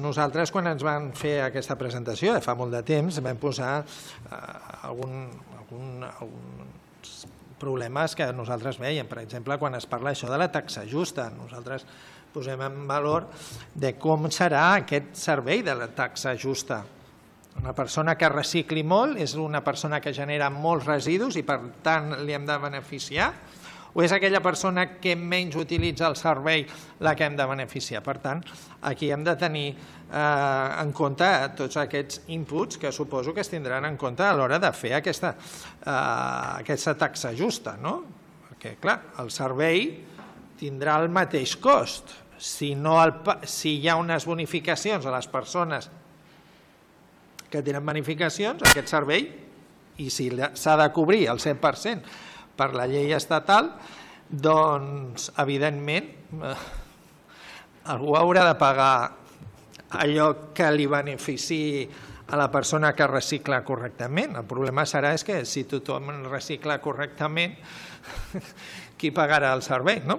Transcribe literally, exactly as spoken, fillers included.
Nosaltres, quan ens van fer aquesta presentació, de fa molt de temps, vam posar algun, algun, alguns problemes que nosaltres veiem. Per exemple, quan es parla això de la taxa justa, nosaltres posem en valor de com serà aquest servei de la taxa justa. Una persona que recicli molt és una persona que genera molts residus i, per tant, li hem de beneficiar, o és aquella persona que menys utilitza el servei la que hem de beneficiar. Per tant, aquí hem de tenir en compte tots aquests inputs que suposo que es tindran en compte a l'hora de fer aquesta taxa justa. Perquè, clar, el servei tindrà el mateix cost. Si hi ha unes bonificacions a les persones que tenen bonificacions, aquest servei, i si s'ha de cobrir el cent per cent per la llei estatal, doncs, evidentment, algú haurà de pagar allò que li beneficiï a la persona que recicla correctament. El problema serà que si tothom recicla correctament, qui pagarà el servei, no?